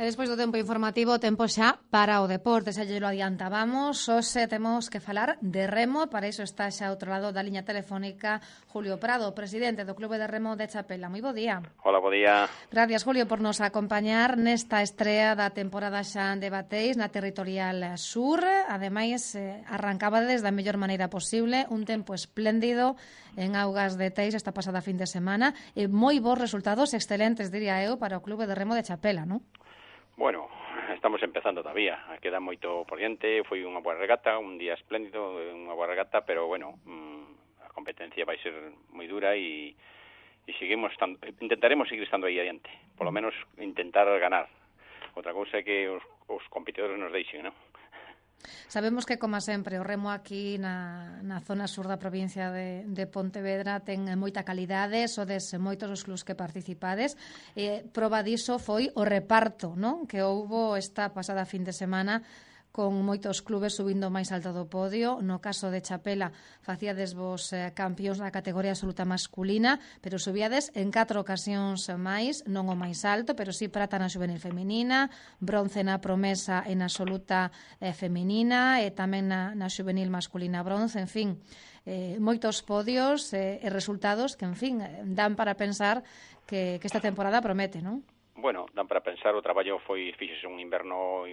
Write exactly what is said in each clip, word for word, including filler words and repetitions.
E despois do tempo informativo, tempo xa para o deporte, xa lle lo adiantábamos. Hoxe temos que falar de remo, para iso está xa ao outro lado da liña telefónica Julio Prado, presidente do Clube de Remo de Chapela. Moi bo día. Hola, bo día. Gracias, Julio, por nos acompañar nesta estrea da temporada xa de Bateis na Territorial Sur. Ademais, eh, arrancabades da mellor maneira posible, un tempo espléndido en augas de Teis esta pasada fin de semana, e moi bons resultados, excelentes, diría eu, para o Clube de Remo de Chapela, non? Bueno, estamos empezando todavía, queda moito por diante, foi unha boa regata, un día espléndido, unha boa regata, pero bueno, mmm, a competencia vai ser moi dura e, e seguimos estando, intentaremos seguir estando aí adiante, polo menos intentar ganar. Outra cousa é que os, os competidores nos deixen, non? Sabemos que, como sempre, o remo aquí na, na zona sur da provincia de, de Pontevedra ten moita calidade, sodes moitos os clubs que participades. Eh, proba diso foi o reparto, non? Que houbo esta pasada fin de semana con moitos clubes subindo máis alto do podio. No caso de Chapela, facíades vos eh, campións na categoría absoluta masculina, pero subíades en catro ocasións máis, non o máis alto, pero sí prata na juvenil femenina, bronce na promesa en absoluta eh, femenina, e tamén na, na juvenil masculina bronce, en fin, eh, moitos podios eh, e resultados que, en fin, dan para pensar que, que esta temporada promete, non? Bueno, dan para pensar, o traballo foi, fixese un inverno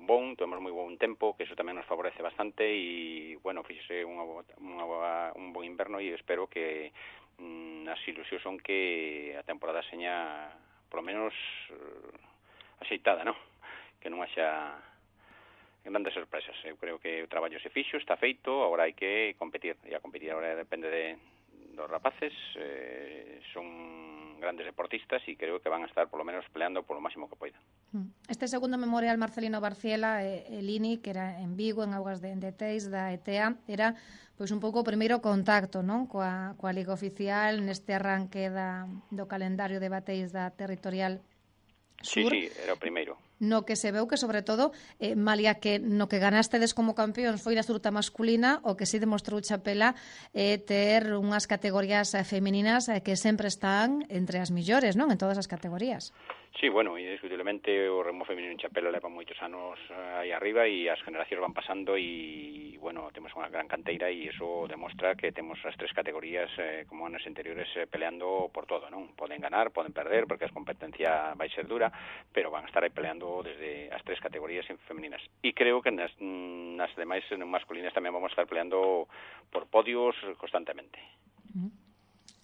bon, tuvemos moi bon tempo, que eso tamén nos favorece bastante, e, bueno, fixese unha, unha, un bon inverno, e espero que mm, as ilusións son que a temporada seña, polo menos, uh, axeitada, non? Que non haxa grandes sorpresas. Eu creo que o traballo se fixo, está feito, agora hai que competir, e a competir agora depende de dos rapaces, eh, son grandes deportistas e creo que van a estar polo menos peleando por lo máximo que poidan. Este segundo memorial Marcelino Barciela, eh, el I N I, que era en Vigo, en augas de, de Teis, da E T A, era pois un pouco o primeiro contacto, non, coa, coa Liga Oficial neste arranque da, do calendario de Bateis da Territorial Sur. Sí, sí, era o primeiro. No que se veu que, sobre todo, eh, malia que no que ganastedes como campeóns foi na absoluta masculina, o que si demostrou Chapela é eh, ter unhas categorías eh, femininas eh, que sempre están entre as millores, non? En todas as categorías. Sí, bueno, indiscutiblemente o remo feminino en Chapela leva moitos anos uh, aí arriba e as generacións van pasando e, bueno, temos unha gran canteira e iso demostra que temos as tres categorías eh, como anos anteriores eh, peleando por todo, non? Poden ganar, poden perder, porque a competencia vai ser dura, pero van a estar aí peleando desde as tres categorías femeninas. E creo que nas, nas demais masculinas tamén vamos a estar peleando por podios constantemente. Uh-huh.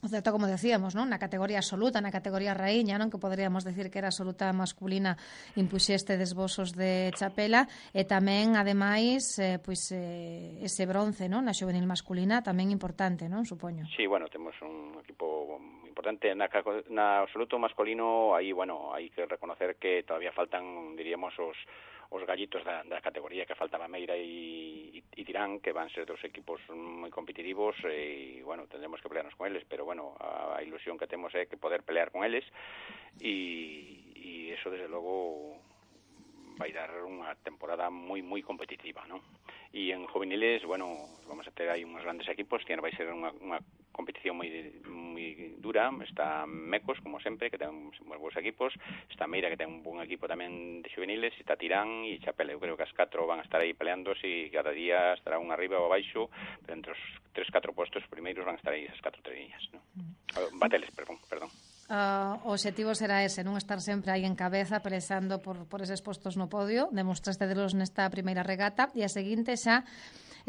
O certo, como decíamos, non? Na categoría absoluta, na categoría raíña, non, que poderíamos decir que era absoluta masculina, impuxeste desbosos de Chapela, e tamén, ademais, eh, pois, eh, ese bronce, non? Na juvenil masculina, tamén importante, non? Supoño. Sí, bueno, temos un equipo importante na, na absoluto masculino. Aí, bueno, hai que reconocer que todavía faltan, diríamos, os os gallitos da, da categoría, que falta Mameira e, e Tirán, que van ser dos equipos moi competitivos, e, bueno, tendremos que pelearnos con eles, pero, bueno, a, a ilusión que temos é que poder pelear con eles, e, e eso, desde logo, vai dar unha temporada moi, moi competitiva, non? E en juveniles, bueno, vamos a ter aí uns grandes equipos, que vai ser unha, unha competición moi, moi dura. Está Mecos, como sempre, que ten uns bons equipos, está Meira, que ten un bon equipo tamén de juveniles, está Tirán e Chapela. Eu creo que as catro van a estar aí peleando, e cada día estará un arriba ou abaixo, pero entre os tres, catro postos primeiros van a estar aí esas catro treñas, non? Bateles, perdón, perdón. Uh, o objetivo será ese, non estar sempre aí en cabeza pelexando por, por eses postos no podio. Demostraste delos nesta primeira regata, e a seguinte xa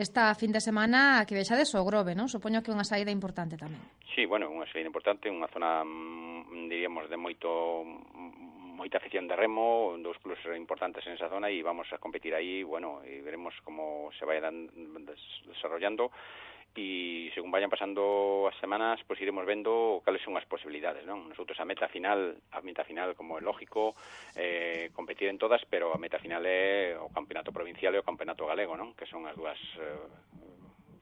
esta fin de semana que vexades o Grove, non? Supoño que unha saída importante tamén. Sí, bueno, unha saída importante, unha zona, diríamos, de moito moita afición de remo, dos clubes importantes en esa zona, e vamos a competir aí, bueno, e veremos como se vayan desarrollando, e según vayan pasando as semanas, pois iremos vendo cales son as posibilidades, non? Nosotros a meta final, a meta final, como é lógico, eh, competir en todas, pero a meta final é o campeonato provincial e o campeonato galego, non? Que son as dúas eh,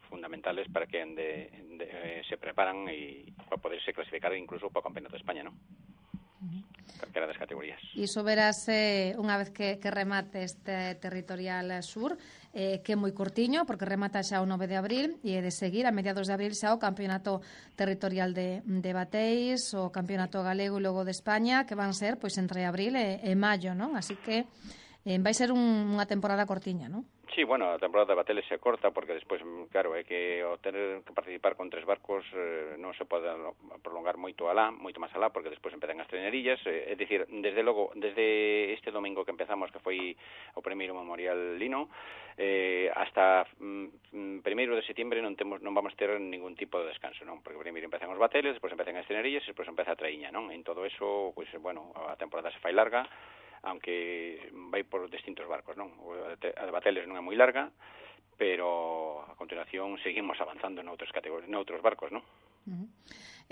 fundamentales para que de, de, eh, se preparan e para poderse clasificar incluso para o campeonato de España, non? Calquera das categorías. Iso verase unha vez que, que remate este territorial sur, eh, que é moi curtiño, porque remata xa o nove de abril, e de seguir, a mediados de abril xa o Campeonato Territorial de, de Bateis, o Campeonato Galego e logo de España, que van ser pois entre abril e, e maio, non? Así que eh, vai ser un, unha temporada cortiña, non? Sí, bueno, a temporada de Bateles se corta porque despois, claro, é que ao tener que participar con tres barcos eh, non se pode prolongar moito alá, moito máis alá, porque despois empezan as trenerillas, eh, é dicir, desde logo, desde este domingo que empezamos, que foi o primeiro Memorial Lino, eh, hasta mm, primeiro de setembro non temos non vamos ter ningún tipo de descanso, non? Porque primeiro empezan os Bateles, despois empezan as trenerillas e despois empeza a traíña, non? En todo eso, pois, bueno, a temporada se fai larga, aunque vai por distintos barcos, non? A de Bateles non é moi larga, pero a continuación seguimos avanzando noutros categorias, noutros barcos, non? Uh-huh.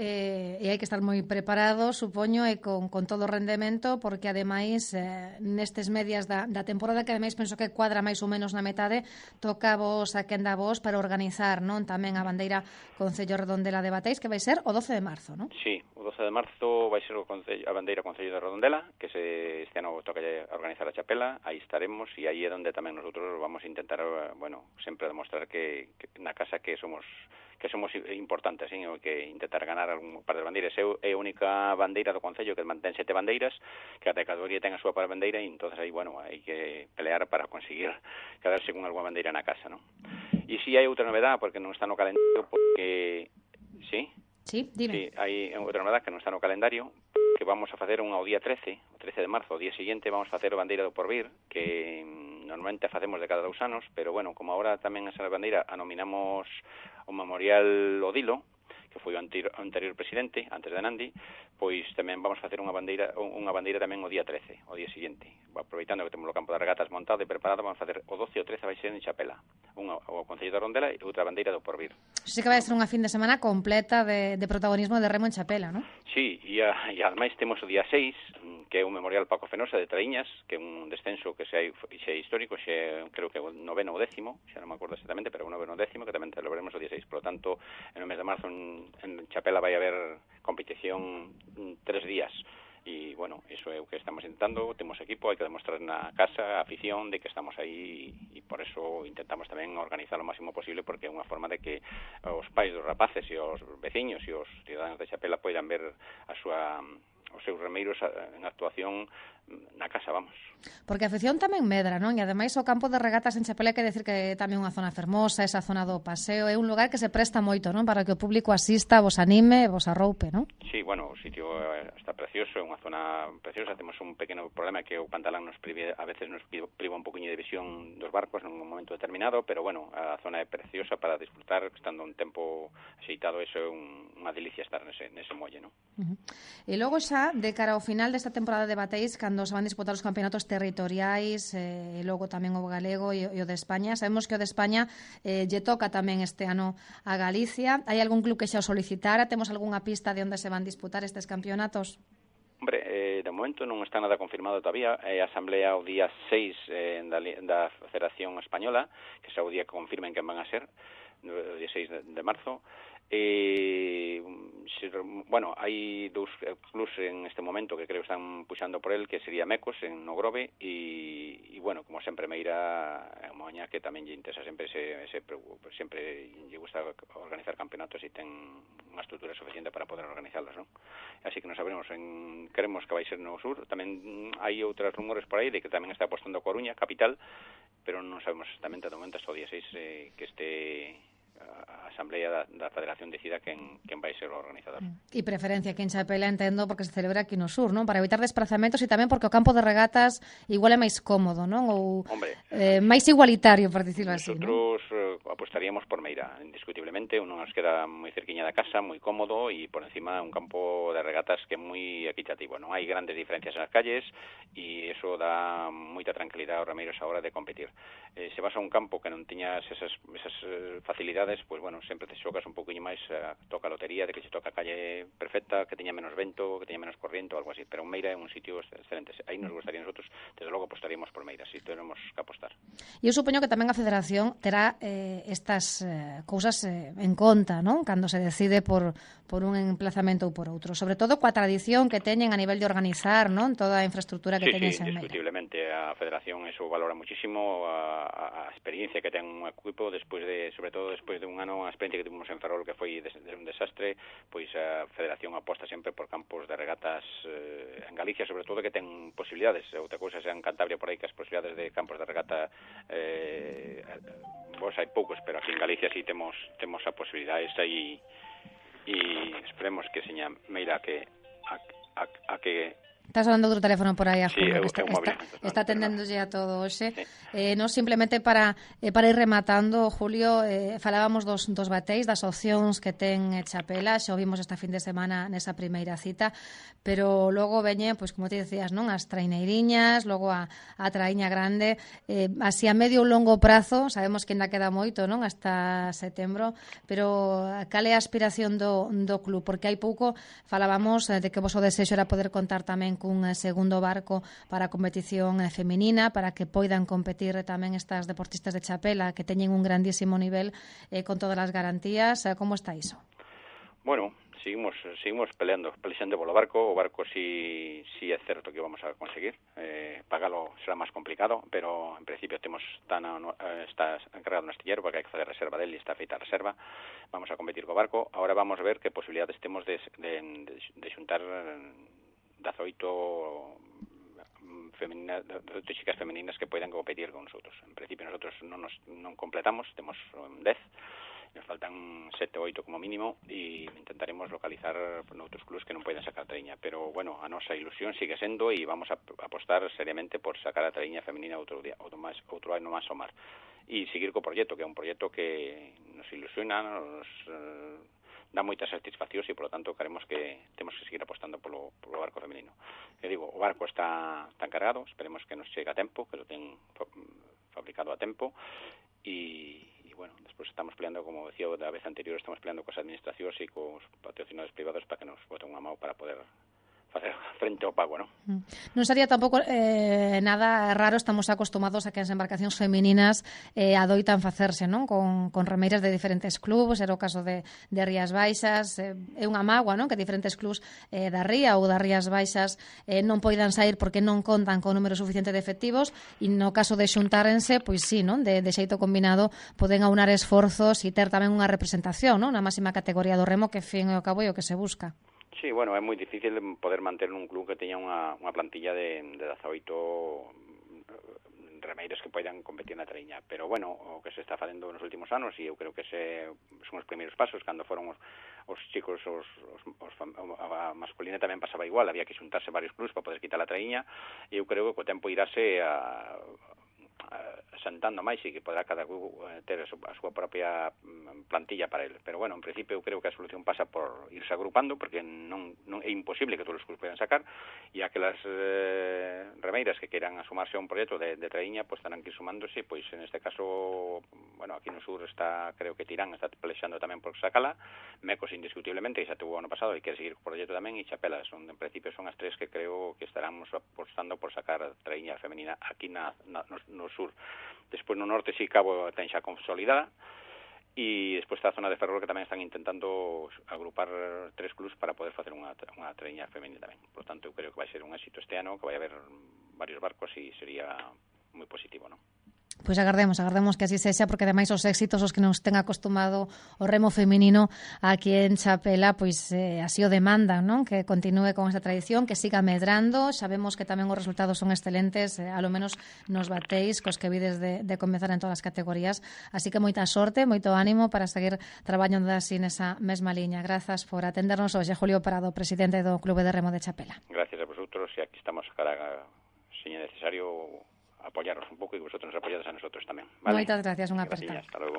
Eh, e hai que estar moi preparado, supoño, e con, con todo o rendemento, porque ademais eh, nestes medias da, da temporada, que ademais penso que cuadra máis ou menos na metade, toca vos a quenda vos para organizar, non, tamén a bandeira Concello Redondela de Bateis, que vai ser o doce de marzo, non? Sí, o doce de marzo vai ser o Concello, a bandeira Concello de Redondela, que se, este ano toca organizar a chapela, aí estaremos, e aí é onde tamén nosotros vamos a intentar, bueno, sempre demostrar que, que na casa que somos que somos importantes, ¿sí? O que intentar ganar algún par de bandeiras. É a única bandeira do Concello que mantén sete bandeiras, que a categoría ten a súa par bandeira, e entonces aí, bueno, hai que pelear para conseguir quedarse con alguna bandeira na casa, ¿no? E si hai outra novedade, porque non está no calendario, porque... ¿Sí? Sí, dime. Sí, hai outra novedade que non está no calendario, que vamos a facer unha o día trece, o trece de marzo, o día seguinte, vamos a facer a bandeira do Porvir, que normalmente a facemos de cada dous anos, pero, bueno, como agora tamén esa bandeira a nominamos o Memorial Odilo, que foi o anterior, o anterior presidente, antes de Nandi, pois tamén vamos a facer unha bandeira unha bandeira tamén o día trece, o día seguinte. Aproveitando que temos o campo de regatas montado e preparado, vamos a facer o doce e o trece vai ser en Chapela, unha o Concello de Redondela e outra bandeira do Porvir. Sí que vai ser unha fin de semana completa de, de protagonismo de remo en Chapela, non? Sí, e, a, e ademais temos o día seis, que é o Memorial Paco Fenosa de Traíñas, que é un descenso que xe, xe histórico, xe creo que o noveno ou décimo, xa non me acordo exactamente, pero o noveno ou décimo, que tamén celebraremos o día seis. Por lo tanto, en o mes de marzo en, en Chapela vai haber competición tres días. E, bueno, iso é o que estamos intentando, temos equipo, hai que demostrar na casa a afición de que estamos aí, e por eso intentamos tamén organizar o máximo posible, porque é unha forma de que os pais dos rapaces e os veciños e os ciudadanos de Chapela poidan ver a súa os seus remeiros en actuación na casa, vamos. Porque a afición tamén medra, non? E ademais o campo de regatas en Chapela, hai que decir que é tamén unha zona fermosa, esa zona do paseo, é un lugar que se presta moito, non? Para que o público asista, vos anime, vos arroupe, non? Sí, bueno, o sitio está precioso, é unha zona preciosa, temos un pequeno problema que o Pantalán nos prive, a veces nos priva un poquinho de visión dos barcos nun momento determinado, pero bueno, a zona é preciosa para disfrutar, estando un tempo axeitado, eso é un, unha delicia estar nese, nese molle, non? Uh-huh. E logo xa, de cara ao final desta temporada de Bateis, cando se van disputar os campeonatos territoriais, e eh, logo tamén o galego e, e o de España, sabemos que o de España eh, lle toca tamén este ano a Galicia. Hai algún club que xa o solicitara? Temos algunha pista de onde se van disputar estes campeonatos? Hombre, eh, de momento non está nada confirmado todavía. É eh, a asamblea o día seis eh, da, da Federación Española, que xa o día que confirmen que van a ser, o día seis de, de marzo. Eh, se, bueno, hai dous clubs en este momento que creo que están puxando por el, que sería Mecos en Nogrove e, e bueno, como sempre Meira e Moaña, que tamén lle interesa sempre ese, ese, sempre lle gusta organizar campeonatos e ten unha estrutura suficiente para poder organizarlos, non? Así que non sabremos, en, queremos que vai ser no sur. Tamén hai outros rumores por aí de que tamén está apostando Coruña, capital, pero non sabemos exactamente de momento hasta o día seis eh, que este a Asamblea da, da Federación decida quen, quen vai ser o organizador. E preferencia que en Chapela, entendo, porque se celebra aquí no sur, non? Para evitar desplazamentos e tamén porque o campo de regatas igual é máis cómodo, non? Ou Hombre, eh, máis igualitario, por dicirlo así, nosotros eh, apostaríamos por Meira, indiscutiblemente, uno nos queda moi cerquiña da casa, moi cómodo, e por encima un campo de regatas que é moi equitativo, non hai grandes diferencias nas calles e eso dá moita tranquilidade aos remeiros a hora de competir. Eh, se vas a un campo que non tiñas esas, esas facilidades, pois, bueno, sempre te xocas un poquinho máis, uh, toca a lotería de que se toca a calle perfecta, que teña menos vento, que teña menos corriente ou algo así, pero Meira é un sitio excelente. Aí nos gustaría nosotros, desde logo apostaríamos por Meira, si tenemos que apostar. E eu supoño que tamén a Federación terá eh, estas eh, cousas eh, en conta, non? Cando se decide por, por un emplazamento ou por outro, sobre todo coa tradición que teñen a nivel de organizar, non? Toda a infraestructura que sí, teñen sí, en Meira. indiscutiblemente a Federación eso valora muchísimo a, a experiencia que ten un equipo despois de, sobre todo despois de un ano, a experiencia que tuvimos en Ferrol que foi de, de un desastre, pois a Federación aposta sempre por campos de regatas eh, en Galicia, sobre todo que ten posibilidades, outra cousa sea en Cantabria por aí que as posibilidades de campos de regata eh, vos hai poucos, pero aquí en Galicia sí temos temos a posibilidade esa e e esperemos que seña Meira que a, a, a que Estás falando outro teléfono por aí a Julio, sí, que está, móvil, está, está atendéndolle a todo hoxe. Sí. Eh, no, simplemente para eh, para ir rematando, Julio, eh, falábamos dos, dos bateis, das opcións que ten Chapela, xa o vimos esta fin de semana nesa primeira cita, pero logo veñen, pois como te decías, non, as traineiriñas, logo a, a traíña grande, eh, así a medio ou longo prazo, sabemos que ainda queda moito, non, hasta setembro, pero cal é a aspiración do, do club? Porque hai pouco falábamos de que vos o desexo era poder contar tamén cun segundo barco para a competición feminina, para que poidan competir tamén estas deportistas de Chapela que teñen un grandísimo nivel eh, con todas as garantías. Como está iso? Bueno, seguimos seguimos peleando, peleando polo barco. O barco sí, sí é certo que vamos a conseguir. Eh, pagalo será máis complicado, pero en principio temos tan, está encargado un astillero porque hai que fazer reserva dele e está feita a reserva. Vamos a competir co barco. Ahora vamos a ver que posibilidades temos de, de, de, de xuntar dezoito femeninas, dezoito chicas femeninas que poidan competir con nosotros. En principio nosotros non nos non completamos, temos dez, nos faltan sete ou oito como mínimo e intentaremos localizar noutros clubes que non poidan sacar a traíña, pero bueno, a nosa ilusión sigue sendo e vamos a apostar seriamente por sacar a traíña femenina outro día, outro máis, outro ano máis ao mar e seguir co proxecto, que é un proxecto que nos ilusiona, nos eh, dá moitas satisfaccións e, polo tanto, queremos que temos que seguir apostando polo, polo barco femenino. Eu digo, o barco está tan cargado, esperemos que nos chegue a tempo, que lo ten fabricado a tempo, e, e bueno, despois estamos peleando, como decía da vez anterior, estamos peleando cos administracións e cos patrocinadores privados para que nos boten unha mão para poder facer frente ao pago, non? Non sería tampouco eh, nada raro, estamos acostumados a que as embarcacións femininas eh, adoitan facerse, non? Con, con remeiras de diferentes clubes, era o caso de, de Rías Baixas, eh, é unha mágoa, non? Que diferentes clubes eh, da Ría ou das Rías Baixas eh, non poidan sair porque non contan con número suficiente de efectivos e no caso de xuntárense, pois sí, non? De, de xeito combinado poden aunar esforzos e ter tamén unha representación, non? Na máxima categoría do remo que fin e ao cabo é o que se busca. Sí, bueno, é moi difícil poder manter un club que teña unha, unha plantilla de, de dezaoito remeiros que poidan competir na traíña, pero bueno, o que se está facendo nos últimos anos e eu creo que ese son os primeiros pasos, cando foron os, os chicos os, os, os, a masculina tamén pasaba igual, había que xuntarse varios clubs para poder quitar a traíña e eu creo que co tempo irase a sentando máis e que poderá cada club ter a súa propia plantilla para ele. Pero bueno, en principio eu creo que a solución pasa por irse agrupando, porque non, non é imposible que todos os clubs podan sacar, e aquelas eh, remeiras que queiran asumarse a un proxecto de, de traíña, pois terán que ir sumándose, pois en este caso, bueno, aquí no sur está, creo que Tirán está pelexando tamén por sacala, Mecos indiscutiblemente, que xa tuvo ano pasado e quere seguir co proxecto tamén, e Chapela, son, en principio son as tres que creo que estaramos apostando por sacar a traíña femenina aquí na, na, no, no sur. Despois no norte si Cabo ten xa consolidada e despois está a zona de Ferrol que tamén están intentando agrupar tres clubs para poder facer unha, unha traíña femenina tamén. Por tanto, eu creo que vai ser un éxito este ano, que vai haber varios barcos e sería moi positivo, non? Pois agardemos, agardemos que así sexa, porque ademais os éxitos os que nos ten acostumado o remo feminino aquí en Chapela, pois eh, así o demandan, non? Que continúe con esta tradición, que siga medrando. Sabemos que tamén os resultados son excelentes, eh, a lo menos nos batéis cos que vides de, de comezar en todas as categorías, así que moita sorte, moito ánimo para seguir traballando así nesa mesma liña. Grazas por atendernos hoxe, Julio Prado, presidente do Clube de Remo de Chapela. Gracias a vosotros e aquí estamos cara, se é necesario, apoyaros un pouco e vosotros nos apoyades a nosotros tamén, vale? Moitas gracias, unha aperta. Hasta logo.